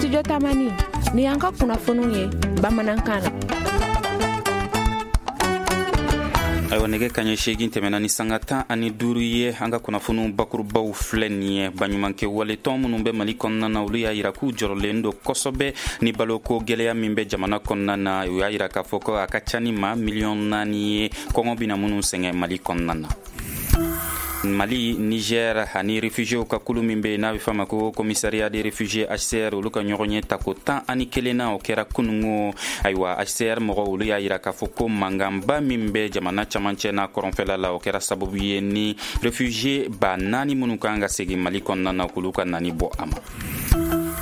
Studio Tamani, ni y'an ka kunnafoniw ye bamanankan na. Ayiwa, nɛgɛ kaɲɛ 8 tɛmɛna ni sanga 15 ye. An ka kunnafoniw bakurubaw filɛ nin ye. Baɲumankɛ waletɔn minnu bɛ Mali kɔnɔna na, olu y'a yira k'u jɔrɔlen don kosɛbɛ ni baloko gwɛlɛya min bɛ jamana kɔnɔna na. U y'a yira k'a fɔ ko a ka ca ni maa miliyɔn 4 ye, kɔngɔ bɛna minnu sɛgɛn Mali kɔnɔna na. Mali, Niger ani réfugiéw ka kulu min bɛ n'a bɛ f'a ma ko Commissariat des réfugiés, HCR, olu ka ɲɔgɔn ye tako 11nan, o kɛra kunungo. Ayiwa, HCR mɔgɔw, olu y'a yira k'a fɔ ko mankanba min bɛ jamana camancɛ n'a kɔrɔnfɛla la, o kɛra sababu ye ni réfugié 4000 minnu kan ka segin Mali kɔnɔna na, k'olu ka nani bɔ a ma.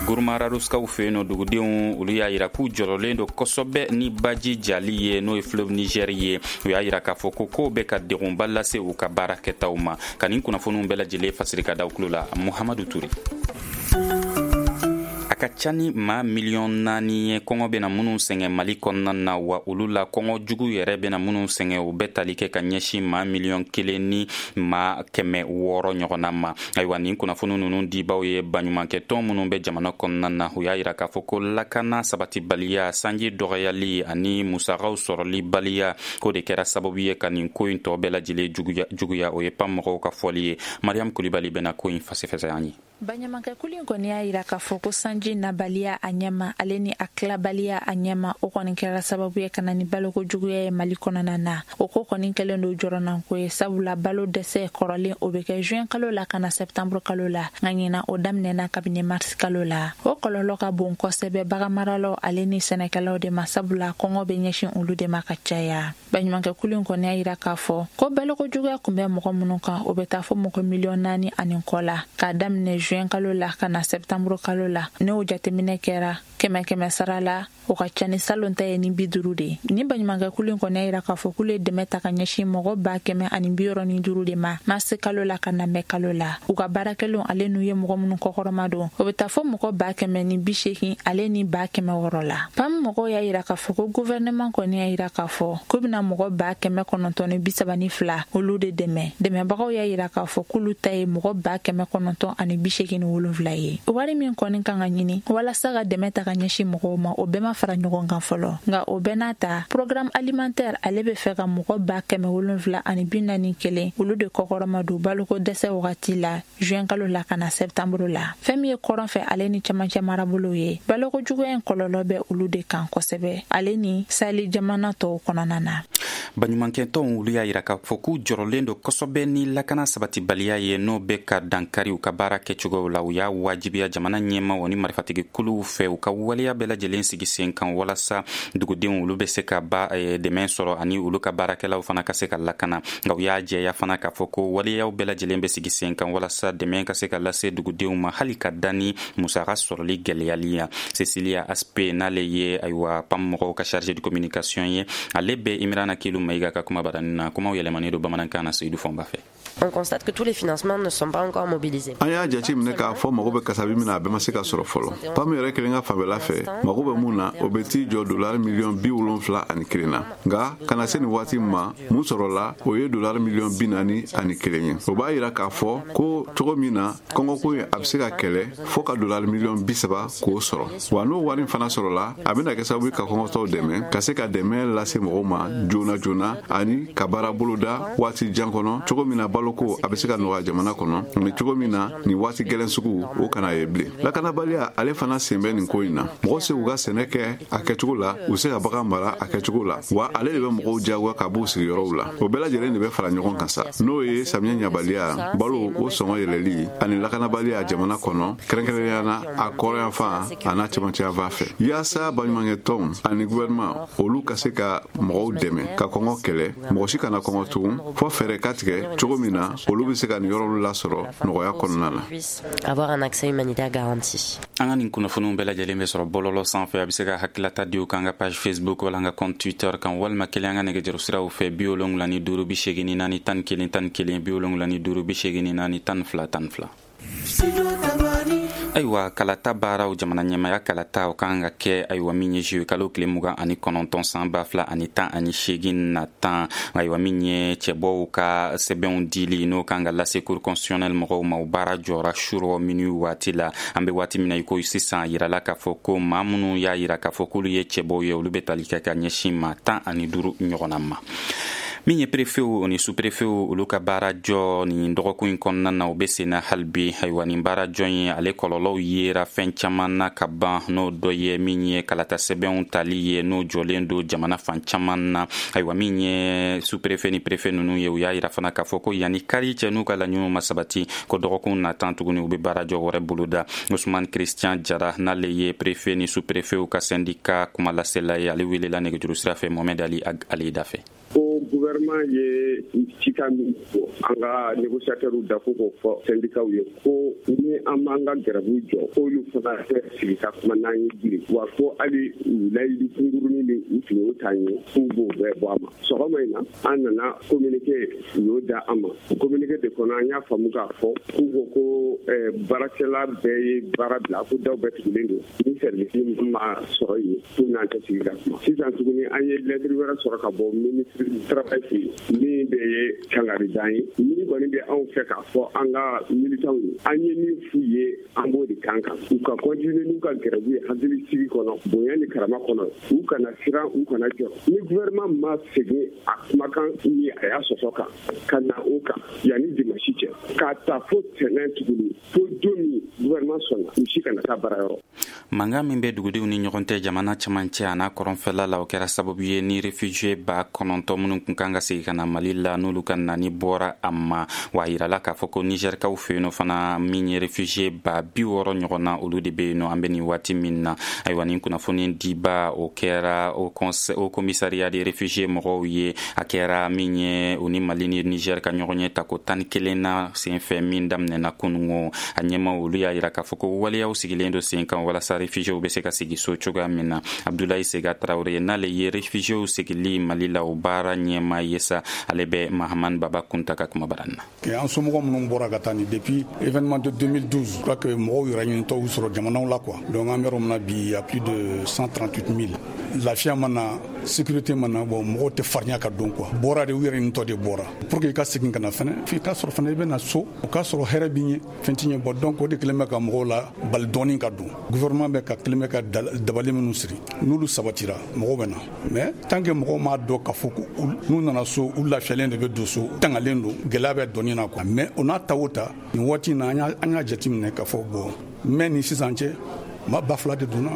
Gourma Rharouskaw fɛ yen nɔ, dugudenw, olu y'a yira k'u jɔrɔlen don kosɛbɛ ni baji jali ye, n'o ye fleuve Niger ye. U y'a yira k'a fɔ ko kow bɛ ka degunba lase u ka baara kɛtaw ma. Ka nin kunnafoniw bɛɛ lajɛlen fasiri ka da kulo la, Muhamadu Ture. A ka ca ni maa miliyɔn 4 ye, kɔngɔ bɛna minnu sɛgɛn Mali kɔnɔna na. Wa olu la, kɔngɔ jugu yɛrɛ bɛna minnu sɛgɛn, o bɛ tali kɛ ka ɲɛsin maa miliyɔn 1 ni maa 600 ɲɔgɔnna ma. Ayiwa, nin kunnafoni ninnu dibaw ye baɲumankɛtɔn minnu bɛ jamana kɔnɔna na. U y'a yira k'a fɔ ko lakana sabatibaliya, sanji dɔgɔyali ani musakaw sɔrɔli baliya, k'o de kɛra sababu ye ka nin ko in tɔ bɛɛ lajɛlen juguya. O ye PAM mɔgɔw ka fɔli ye. Mariam Kulibali bɛna ko in fasɛfɛsɛ an ye. Baɲumankɛkulu in kɔni y'a yira k'a fɔ ko sanji nabaliya a ɲɛma, ale ni a tilabaliya a ɲɛma, o kɔni kɛra sababu ye ka na ni baloko juguya ye Mali kɔnɔna na. O ko kɔni kɛlen don jɔrɔnanko ye, sabula balo dɛsɛ kɔrɔlen, o bɛ kɛ juin kalo la ka na septembre kalo la, nka ɲinan o daminɛna kabini mars kalo la. O kɔlɔlɔ ka bon kosɛbɛ baganmaralaw ale ni sɛnɛkɛlaw de ma, sabula kɔngɔ bɛ ɲɛsin olu de ma ka caya. Baɲumankɛkulu in kɔni y'a yira k'a fɔ ko baloko juguya kun bɛ mɔgɔ minnu kan, o bɛ taa fɔ mɔgɔ miliyɔn 4 ani kɔ la, k'a daminɛ juin kalo la ka na septembre kalo la. N'o jateminɛ kɛra kɛmɛ kɛmɛ sara la, o ka ca ni salon ta ye ni 50 de ye. Ni baɲumankɛkulu in kɔni y'a yira k'a fɔ k'olu ye dɛmɛ ta ka ɲɛsin mɔgɔ 165 160 de ma marisi kalo la ka na mɛ kalo la. U ka baarakɛlenw ale n'u ye mɔgɔ minnu kɔkɔrɔma don, o bɛ taa fɔ mɔgɔ 180 ale ni 600 la. PAM mɔgɔw y'a yira k'a fɔ ko gouvernement kɔni y'a yira k'a fɔ k'u bɛna mɔgɔ 932,000 olu de dɛmɛ. Dɛmɛbagaw y'a yira k'a fɔ k'olu ta ye mɔgɔ 987 ye. Wari min kɔni kan ka ɲini walasa ka dɛmɛ ta ka ɲɛsin mɔgɔw ma, o bɛɛ ma fara ɲɔgɔn kan fɔlɔ. Nka o bɛɛ n'a ta, Programme alimentaire ale bɛ fɛ ka mɔgɔ 741,000 olu de kɔkɔrɔma don baloko dɛsɛ wagati la, juin kalo la ka na septembre la. Fɛn min ye kɔrɔn fɛ ale ni camancɛ marabolow ye, baloko juguya in kɔlɔlɔ bɛ olu de kan kosɛbɛ, ale ni Sahel jamana tɔw kɔnɔna na. Baɲumankɛtɔnw, olu y'a yira k'a fɔ k'u jɔrɔlen don kosɛbɛ ni lakana sabatibaliya ye, n'o bɛ ka dankari u ka baara kɛcogow la. U y'a wajibiya jamana ɲɛmaw ni marifatigi kuluw fɛ, u ka waleya bɛɛ lajɛlen sigi sen kan walasa dugudenw, olu bɛ se ka ba dɛmɛ sɔrɔ ani olu ka baarakɛlaw fana ka se ka lakana. Nka u y'a jɛya fana k'a fɔ ko waleyaw bɛɛ lajɛlen bɛ sigi sen kan walasa dɛmɛ ka se ka lase dugudenw ma, hali ka da ni musaka sɔrɔli gɛlɛyali ya. Cecilia Aspe, n'ale ye, ayiwa, PAM mɔgɔw ka chargé de communication ye, ale bɛ Imirana Kilu Mayiga ka kuma baranin na. Kumaw yɛlɛmanen don bamanankan na Seyidu Fɔnba fɛ. On constate que tous les financements ne sont pas encore mobilisés. An y'a jate minɛ k'a fɔ mago bɛ kasabi min na, a bɛɛ ma se ka sɔrɔ fɔlɔ. PAM yɛrɛ kelen ka fanfɛla fɛ, mago bɛ mun na, o bɛ t'i jɔ dolari miliyɔn 71 na. Nka ka na se nin waati ma, mun sɔrɔla, o ye dolari miliyɔn 41 ye. O b'a yira k'a fɔ ko cogo min na kɔngɔko in a bɛ se ka kɛlɛ, fɔɔ ka dolari miliyɔn 30 k'o sɔrɔ. Wa n'o wari fana sɔrɔla, a bɛna kɛ sababu ka kɔngɔtɔw dɛmɛ, ka se ka dɛmɛ lase mɔgɔw ma joona joona ani ka baara boloda waati jan kɔnɔ, cogo min na baloko a bɛ se ka nɔgɔya jamana kɔnɔ, ani cogo min na nin waati gɛlɛn sugu o kana ye bilen. Lakanabaliya ale fana sen bɛ nin ko in na. Mɔgɔ se k'u ka sɛnɛ kɛ a kɛcogo la, u se ka bagan mara a kɛcogo la, wa ale de bɛ mɔgɔw jagoya ka b'u sigiyɔrɔw la. O bɛɛ lajɛlen de bɛ fara ɲɔgɔn kan sa, n'o ye samiyɛ ɲabaliya, balo o sɔngɔ yɛlɛli ani lakanabaliya jamana kɔnɔ, kɛrɛnkɛrɛnnenya na a kɔrɔyanfan a n'a cɛmancɛyanfan fɛ. Yaasa baɲumankɛtɔnw ani gouvernement, olu ka se ka mɔgɔw dɛmɛ ka kɔngɔ kɛlɛ, mɔgɔ si kana kɔngɔ tugun, fɔ fɛɛrɛ ka tigɛ cogo min na olu bɛ se ka nin yɔrɔw lasɔrɔ nɔgɔya kɔnɔna na. Avoir un accès humanitaire garanti. An ka nin kunnafoniw bɛɛ lajɛlen bɛ sɔrɔ bɔlɔlɔ sanfɛ. A bɛ se ka hakilata di u kan ka page Facebook wala an ka compte Twitter kan, walima kelen an ka nɛgɛjuru siraw fɛ: 75 84 11 11, 75 84 12 12. Ayiwa, kalata baaraw, jamana ɲɛmaya kalata, o kan ka kɛ, ayiwa, min ye juillet kalo tile 29 san 2018 natan. Ayiwa, min ye cɛbɔw ka sɛbɛnw dili, n'o kan ka lase Cour constitutionnelle mɔgɔw ma, o baara jɔra surɔ minuit waati la. An be waati min na i ko sisan, yirala k'a fɔ ko maa minnu y'a yira k'a fɔ k'olu ye cɛbɔw ye, olu be tali kɛ ka ɲɛsin maa 15 ɲɔgɔnna ma. Min ye prefew ni sous-prefetw, olu ka baara jɔ nin dɔgɔkun in kɔnɔna na, o be senna hali bi. Ayiwa, nin baara jɔ in, ale kɔlɔlɔw yera fɛn caman na ka ban, n'o dɔ ye min ye kalata sɛbɛnw tali ye, n'o jɔlen don jamana fan caman na. Ayiwa, min ye sous-préfet ni préfet nunu ye, u y'a yira fana k'a fɔ ko yanni kari cɛ, n'u ka laɲiniw ma sabati, ko dɔgɔkun natan tuguni, u be baara jɔ wɛrɛ boloda. Usman Christian Jara, n'ale ye préfet ni sous-préfetw ka syndicat kumalasela ye, ale welela nɛgɛjuru sira fɛ Mohamed Ali Alida fɛ. Ko gouvernement ye cikan min fɔ an ka négociateurs da, ko k'o fɔ syndicats ye ko ni an m'an ka grève jɔ, k'olu fana tɛ sigi ka kuma n'an ye bilen, wa ko hali u layidu kunkurunin min u tun y'o t'an ye, k'u b'o bɛɛ bɔ a ma. Sɔgɔma in na, an nana communiqué, u y'o da an ma. O communiqué de kɔnɔ, an y'a faamu k'a fɔ k'u ko ko baarakɛla bɛɛ ye baara bila, ko daw bɛɛ tugulen don, ni service ma sɔrɔ yen, k'u n'an tɛ sigi ka kuma. Sisan tuguni, an ye lettre wɛrɛ sɔrɔ ka bɔ ministre du Travail fɛ yen, min de ye kangaridan ye. Min kɔni bɛ anw fɛ k'a fɔ an ka militants ye, an ye min f'u ye, an b'o de kan kan, u ka continuer n'u ka grève ye hakili sigi kɔnɔ, bonya ni karama kɔnɔ, u kana siran, u kana jɔ. Ni gouvernement ma segin a kumakan ni a y'a sɔsɔ kan ka na o kan yanni dimanche cɛ, k'a ta fo tɛnɛn tuguni, fo don min gouvernement sɔnna, u si kana taa baara yɔrɔ. Mankan min bɛ dugudenw ni ɲɔgɔn cɛ jamana cɛmancɛ a n'a kɔrɔnfɛla la, o kɛra sababu ye ni réfugié 9000 minnu kun kan ka segin ka na Mali la, n'olu ka nani bɔra a ma. Wa a yirala k'a fɔ ko Nizɛrikaw fɛ yen nɔ fana, min ye réfugié 60,000 ɲɔgɔn na, olu de bɛ yen nɔ an bɛ nin waati min na. Ayiwa, nin kunnafoni diba, o kɛra au Commissariat des réfugiés mɔgɔw ye. A kɛra min ye u ni Mali ni Niger ka ɲɔgɔn ye tako 11 na senfɛ min daminɛna kunungo, a ɲɛmaw, olu y'a yira k'a fɔ ko waleyaw sigilen don sen kan walasa réfugiés bɛ se ka sigi so cogoya min na. Abdulayi Sega Tarawele, n'ale ye réfugiés sigili Mali la o baara ɲɛma ye sa, ale bɛ Mahaman Baba Kunta ka kumabaran na. An somɔgɔ minnu bɔra ka taa ni depuis événement de 2012, je crois que mɔgɔw yɛrɛ ɲinitɔw sɔrɔ jamanaw la quoi. Donc an bɛ yɔrɔ min na bi, il y a plus de 138 000. Lafiya ma na, sécurité ma na, bon, mɔgɔw tɛ farinya ka don quoi. Bɔra de, u yɛrɛ ɲinitɔ de bɔra pour que i ka segin ka na fɛnɛ, f'i ka sɔrɔ fɛnɛ i bɛ na so, o k'a sɔrɔ hɛrɛ b'i ɲɛ, fɛn t'i ɲɛ. Bɔ donc o de kɛlen bɛ ka mɔgɔw la bali dɔɔni ka don. Gouvernement bɛ ka kelen bɛ ka dabali minnu siri, n'olu sabatira, mɔgɔw bɛ na. Mais tant que mɔgɔw m'a dɔn k'a fɔ ko n'u nana so, u lafiyalen de bɛ don so, tangalen don, gɛlɛya bɛ dɔɔni na quoi. Mais o n'a ta o ta, nin waati in na, an y'a jateminɛ k'a fɔ bon, mais ni sisan cɛ, maa 2000 de donna.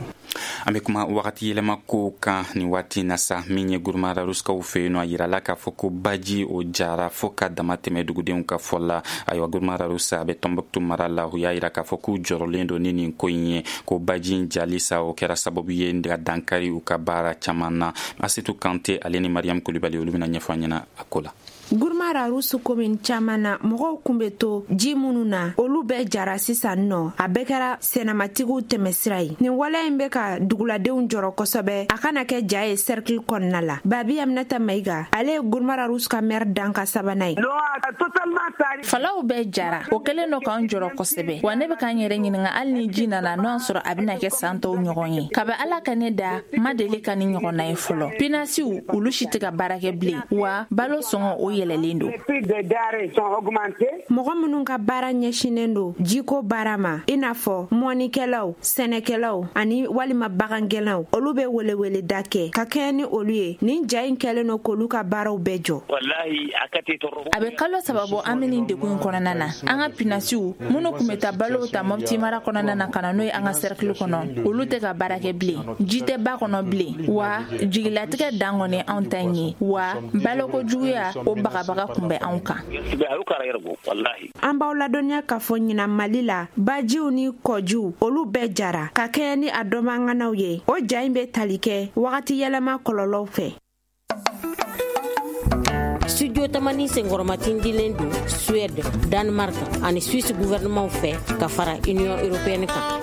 An bɛ kuma wagati yɛlɛma kow kan nin waati na sa. Min ye Guruma Raruskaw fɛ yen nɔ, a yirala k'a fɔ ko baji o jara fo ka dama tɛmɛ, dugudenw ka fɔ la. Ayiwa, Guruma Rarusa, a bɛ Tɔnbɔkutu mara la, u y'a yira k'a fɔ k'u jɔrɔlen don ni nin ko in ye, ko baji in jali sa, o kɛra sababu ye ka dankari u ka baara caman na. Asetu Kante, ale ni Mariam Kulibali, olu bɛna ɲɛfɔ an ɲɛna a ko la. Guruma Rarusu komin caman na, mɔgɔw kun be to ji minnu na, olu bɛɛ jara sisan nɔ. A bɛɛ kɛra sɛnɛmatigiw tɛmɛsira ye. Nin waleya in bɛ ka duguladenw jɔrɔ kosɛbɛ, a kana kɛ ja ye cercle kɔnɔna la. Babi Aminata Mayiga, ale ye Guruma Rarusu ka maire danka sabanan ye. Falaw bɛɛ jara, o kɛlen dɔ k'an jɔrɔ kosɛbɛ. Wa ne bɛ k'an yɛrɛ ɲininga, hali ni ji nana, n'o y'a sɔrɔ a bɛna kɛ san tɔw ɲɔgɔn ye. Kabi Ala ka ne da, ma deli ka ni ɲɔgɔnna ye fɔlɔ. Pinasiw, olu si tɛ ka baara kɛ bilen, wa balo sɔngɔ, o yɛlɛlen don. Mɔgɔ minnu ka baara ɲɛsinnen don jiko baara ma, i n'a fɔ mɔnikɛlaw, sɛnɛkɛlaw ani walima bagangɛnnaw, olu bɛ weleweleda kɛ ka kɛɲɛ ni olu ye. Nin ja in kɛlen don k'olu ka baaraw bɛɛ jɔ. A bɛ kalo 3 bɔ, an bɛ nin degun in kɔnɔna na. An ka pinasiw minnu tun bɛ taa balow ta Mɔpti mara kɔnɔna na ka na n'o ye an ka cercle kɔnɔ, olu tɛ ka baara kɛ bilen. Ji tɛ ba kɔnɔ bilen, wa jigilatigɛ dan kɔni anw ta in ye, wa baloko juguya o bagabaga kun bɛ anw kan. An b'aw ladɔnniya k'a fɔ ɲinan Mali la, bajiw ni kɔjiw, olu bɛɛ jara ka kɛɲɛ ni a dɔnbaŋanaw ye. O ja in bɛ tali kɛ wagati yɛlɛma kɔlɔlɔw fɛ. Studio Tamani senkɔrɔmatindilen don Suède, Danemark ani Suisse gouvernement fɛ ka fara Union européenne kan.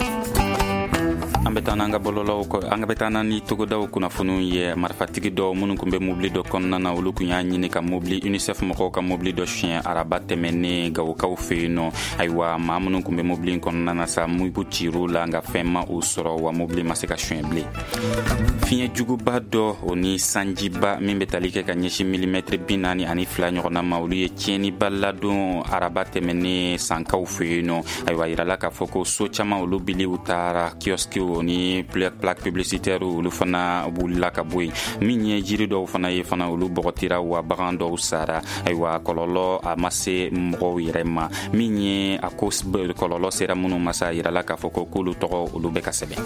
An bɛ taa n'an ka bɔlɔlɔw, an bɛ taa ni togodaw kunnafoniw ye. Marifatigi dɔw minnu tun bɛ mobili dɔ kɔnɔna na, olu tun y'a ɲini ka mobili UNICEF mɔgɔw ka mobili dɔ suɲɛ araba tɛmɛnen Gawokaw fɛ yen nɔ. Ayiwa, maa minnu tun bɛ mobili in kɔnɔna na sa, mugu cir'u la, nka fɛn ma u sɔrɔ, wa mobili ma se ka suɲɛ bilen. Fiɲɛ juguba dɔ, o ni sanjiba min bɛ tali kɛ ka ɲɛsin milimɛtiri 42 ɲɔgɔnna ma, olu ye tiɲɛniba ladon araba tɛmɛnen Sankaw fɛ yen nɔ. Ayiwa, yirala k'a fɔ ko so caman, olu biliw taara, kiosquew ni plaque publicitaire, olu fana wulila ka bɔ yen. Min ye jiri dɔw fana ye fana, olu bɔgɔtira, wa bagan dɔw sara. Ayiwa, kɔlɔlɔ a ma se mɔgɔw yɛrɛ ma. Min ye a ko kɔlɔlɔ sera minnu ma sa, yirala k'a fɔ ko k'olu tɔgɔ, olu bɛ ka sɛbɛn.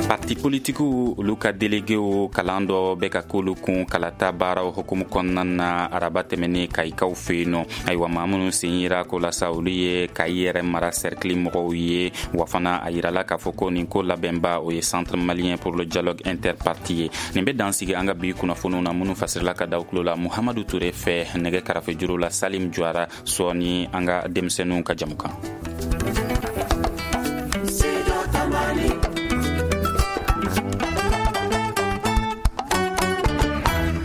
Parti politikiw, olu ka déléguéw kalan dɔ bɛ ka k'olu kun kalata baaraw hukumu kɔnɔna na araba tɛmɛnen Kayikaw fɛ yen nɔ. Ayiwa, maa minnu sen yira ko la sa, olu ye Kayi yɛrɛ mara cercle mɔgɔw ye. Wa fana, a yirala k'a fɔ ko nin ko labɛnba, o ye Centre malien pour le dialogue interparti ye. Nin bɛ dan sigi an ka bi kunnafoniw na, minnu fasirila ka da tulo la Muhamadu Ture fɛ. Nɛgɛ karafe juru la, Salim Juwara. Sɔɔni, an ka denmisɛnninw ka jamukan.